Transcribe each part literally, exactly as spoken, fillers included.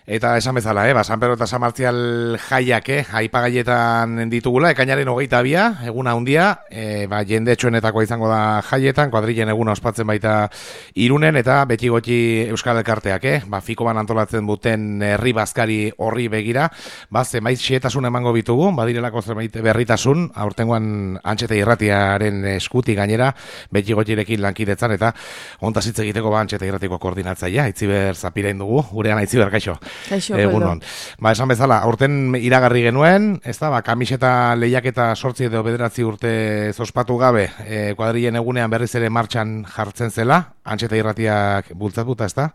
Eta esan bezala, eh, ba, San Pedro eta San Martzial jaiak, eh, aipagaietan ditugula, ekainaren hogeita bia, eguna handia, eh, ba, jende etxoenetakoa izango da jaietan, kuadrilen eguna ospatzen baita Irunen, eta beti goti Euskal Elkarteak, eh, ba, Fikoban antolatzen duten herri bazkari horri begira, ba, zenbait xehetasun emango bitugu, badirelako zenbait berritasun, aurtengoan Antxete Irratiaren eskuti gainera, beti gotirekin lankidetzan, eta hontaz hitz egiteko ba, Antxete Irratiko koordinatzailea, Itziber Zapirain dugu, gurean Itziber, kaixo. Egunon. Ba, esan bezala, aurten iragarri genuen, ez da, ba, kamiseta lehiaketa sortzi edo bederatzi urte zospatu gabe, e, kuadrilen egunean berriz ere martxan jartzen zela, Antxeta Irratiak bultzatuta, ez da?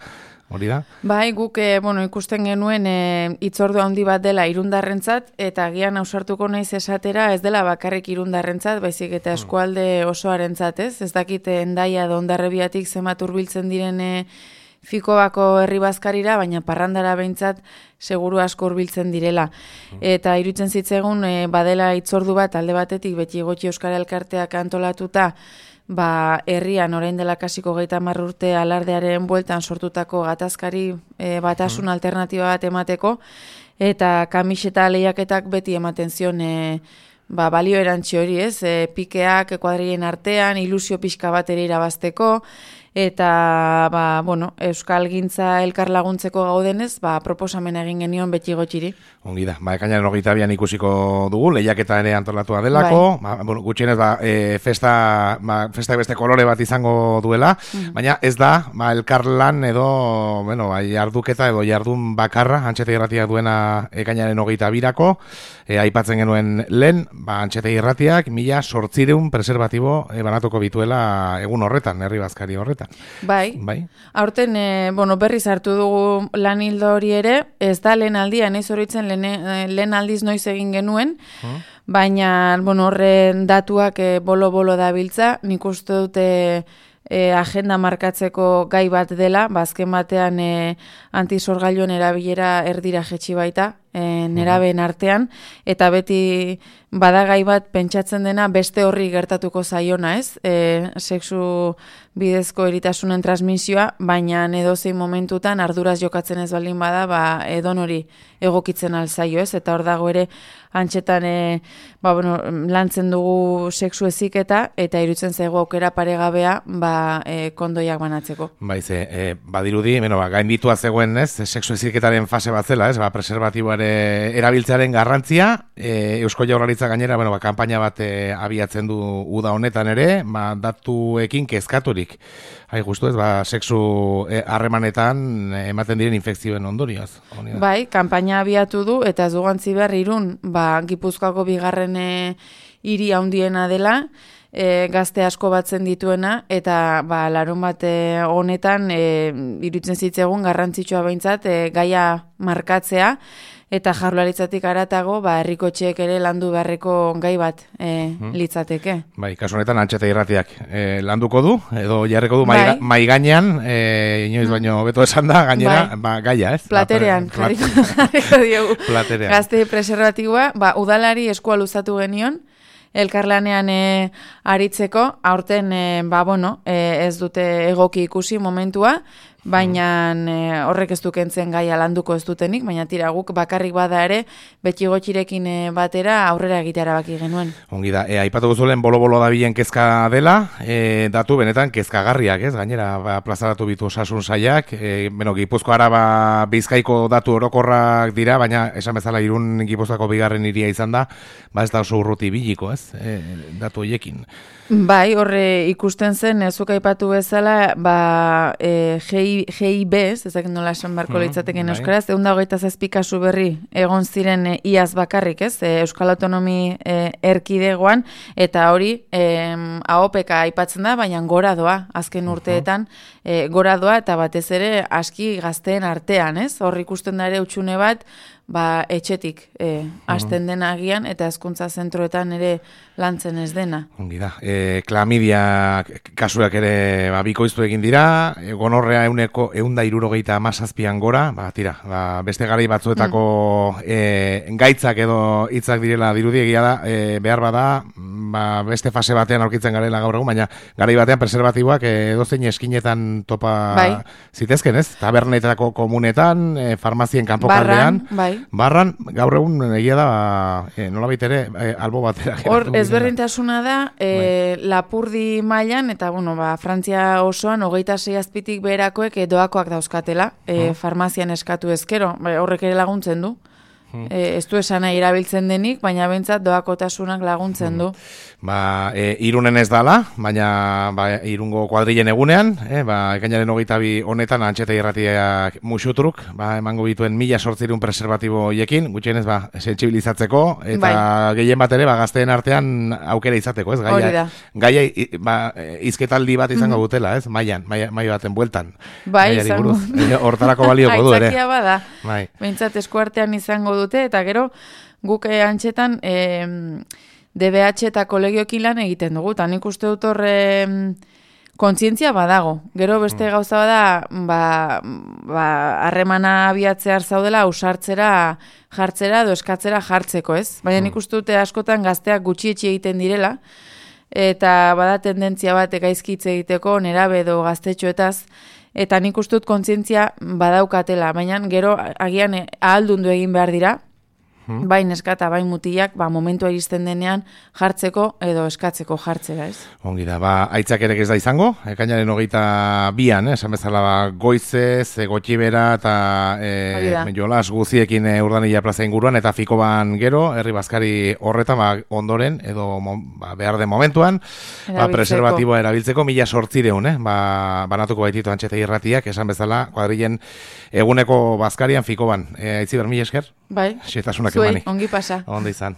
Hori da? Bai, guk e, bueno, ikusten genuen e, itzordu handi bat dela irundarrentzat, eta agian ausartuko naiz esatera ez dela bakarrik irundarrentzat, baizik eta eskualde osoarentzat, ez? Ez dakit Hendaia edo Hondarribiatik zenbat hurbiltzen diren e, Fikobako herri bazkarira, baina parrandara behintzat seguru asko hurbiltzen direla. Eta iruditzen zitzegun e, badela itzordu bat alde batetik beti gotxi Euskal Elkarteak antolatuta, ba, herrian orain dela kasiko geita hamar urte alardearen bueltan sortutako gatazkari e, batasun mm. alternatiba bat emateko, eta kamiseta lehiaketak beti ematen zion e, ba, balio erantzi hori, ez? E, pikeak kuadrilen artean, ilusio pixka bat ere irabazteko, eta ba, bueno, Euskal Gintza elkar laguntzeko gaudenez, ba, proposamen egin genion beti gotxiri. Ongi da, ba, ekainaren hogeita bian ikusiko dugu, lehiaketa ere antolatua delako, bai. ba, bueno, gutxienez ba, e, festa, ba, festa beste kolore bat izango duela, mm. baina ez da, ba, elkarlan edo, bueno, ba, jarduketa edo jardun bakarra, Antxete Irratiak duena ekainaren hogeita birako, e, aipatzen genuen lehen, ba, Antxete Irratiak mila sortzireun preservatibo e, banatuko bituela egun horretan, herri bazkari horretan. Bai, bai. Aurten e, bueno, berriz hartu dugu lan hildo hori ere, ez da lehen aldia, nahiz horitzen lehen, lehen aldiz noiz egin genuen, hmm. baina bueno, horren datuak e, bolo-bolo dabiltza, nik uste dute e, agenda markatzeko gai bat dela, bazken batean e, antisorgailuen erabilera erdira jetxi baita, e, nerabeen artean, eta beti badagai bat pentsatzen dena beste horri gertatuko zaiona, ez? E, sexu bidezko eritasunen transmisioa, baina edozein momentutan arduraz jokatzen ez baldin bada, ba, edon hori egokitzen alzaio, ez? Eta hor dago ere Antxetan e, ba, bueno, lantzen dugu sexu heziketa, eta iruditzen zaigu aukera paregabea ba, e, kondoiak banatzeko. Baize, e, badirudi, bueno, ba, gainditua zegoen, ez? Sexu heziketaren fase bat zela, ez? Ba, preservatiboare erabiltzearen garrantzia, e, Eusko Jaurlaritza gainera, bueno, ba, kanpaina bat e, abiatzen du uda honetan ere, ba, datuekin kezkaturik. Hai, justu ez, ba, sexu harremanetan e, ematen diren infekzioen ondorioz. Bai, kanpaina abiatu du, eta ez dugantzi behar Irun, ba, Gipuzkoako bigarren e, hiri handiena dela, e, gazte asko batzen dituena, eta ba, larun bat e, honetan e, iruditzen zitzegun garrantzitsua behintzat e, gaia markatzea, eta Jaurlaritzatik haratago, ba, herrikotxeek ere landu beharreko gai bat e, hmm. litzateke. Bai, kasu honetan Antxete Irratiak e, landuko du, edo jarriko du bai. mai gainean, e, inoiz hmm. baino beto esan da, gainera, bai. ba, gaia, ez? Platerean, ba, jarriko, jarriko diogu. Platerean. Gazte preservatiboa, ba, udalari eskua luzatu genion, elkarlanean e, aritzeko, aurten e, ba, bueno, e, ez dute egoki ikusi momentua, baina e, horrek ez dukentzen gaia landuko ez dutenik, baina tira guk bakarrik bada ere, beti gotxirekin e, batera aurrera egitera baki genuen. Ongi da, e, aipatu guzulen bolo-bolo dabilen kezka dela, e, datu benetan kezkagarriak, ez? Gainera, ba, plazaratu bitu osasun saiak, e, bueno, Gipuzko Araba Bizkaiko datu orokorrak dira, baina esan bezala Irun Gipuzkoako bigarren hiria izan da, ba ez da oso urruti biliko, ez? E, datu hoiekin. Bai, horre ikusten zen, zuk aipatu bezala, ba, e, G I B, ez dakit nola esan barko litzateken mm, euskaraz, egun da hogeita zazpi kasu berri egon ziren e, iaz bakarrik, ez? E, Euskal Autonomi e, erkidegoan, eta hori e, A O P K aipatzen da, baina gora doa, azken urteetan, e, gora doa, eta batez ere aski gazteen artean, ez? Hor ikusten da ere utxune bat, ba, etxetik e, hasten dena agian, eta hezkuntza zentroetan ere lantzen ez dena. Ongi da. E, klamidia kasuak ere ba, bikoiztu egin dira, e, gonorrea ehuneko euneko eunda irurogeita amazazpian gora, ba, tira, ba, beste garai batzuetako mm. e, gaitzak edo hitzak direla dirudiegia da, e, behar bada, ba, beste fase batean aurkitzen garela gaur egun, baina garai batean preservatiboak edozein eskinetan topa bai. Zitezken, ez? Tabernetako komunetan, e, farmazien kanpokaldean, barran, bai. barran, gaur egun egia da, e, nola baitere, e, albo batera. Hor, ezberdintasuna da, e, bai. Lapurdi mailan eta, bueno, ba, Frantzia osoan, hogeita sei azpitik beherakoek doakoak dauzkatela, e, hmm. farmazian eskatu ezkero, bai, horrek ere laguntzen du. Hmm. E, ez du esan nahi erabiltzen denik, baina bentsat doakotasunak laguntzen du. Hmm. Ba, e, irunen ez dala, baina ba, irungo kuadrilen egunean, e, ba, ekainaren hogeita bi honetan antxeta irratiak musutruk, ba, emango bituen mila sortzirun preservatibo hiekin, gutxienez, ba, sentsibilizatzeko, eta bai. Gehien bat ere, ba, gazteen artean aukera izateko, ez? Gaia, gaia ba, izketaldi bat izango mm-hmm. dutela, ez? Maian, maia, maia baten bueltan. Bai, izango. Hortarako balioko du, ere. Aitzakia bada, bai. Bentsat eskuartean izango dute, eta gero guk eh, antxetan eh, D B H eta kolegioekin lan egiten dugu, eta nik uste dut horre kontzientzia badago. Gero beste mm. gauza bada, ba, harremana ba, abiatzear zaudela, ausartzera jartzera edo eskatzera jartzeko, ez? Baina nik uste dute askotan gazteak gutxietxi egiten direla, eta bada tendentzia bat gaizkitze egiteko nerabe edo gaztetxoetaz, eta nik uste dut kontzientzia badaukatela, baina gero agian ahaldundu egin behar dira, hmm. bai neskata, bai mutilak, ba, momentua iristen denean jartzeko edo eskatzeko jartzera, ez? Ongi da, ba, aitzak ere ez da izango, ekainaren hogeita bian, eh, esan bezala ba, goizez, e, gotxibera eta e, jolas guziekin e, urdanila plaza inguruan, eta Fikoban gero, herri bazkari horretan, ba, ondoren, edo ba, behar den momentuan, ba, preservatiboa erabiltzeko, mila sortzireun, eh, ba, banatuko baititu antxeta irratiak, esan bezala, kuadrilen eguneko bazkarian Fikoban. E, Aitziber, mila esker? Bai, zuei, ongi pasa. Ondo izan.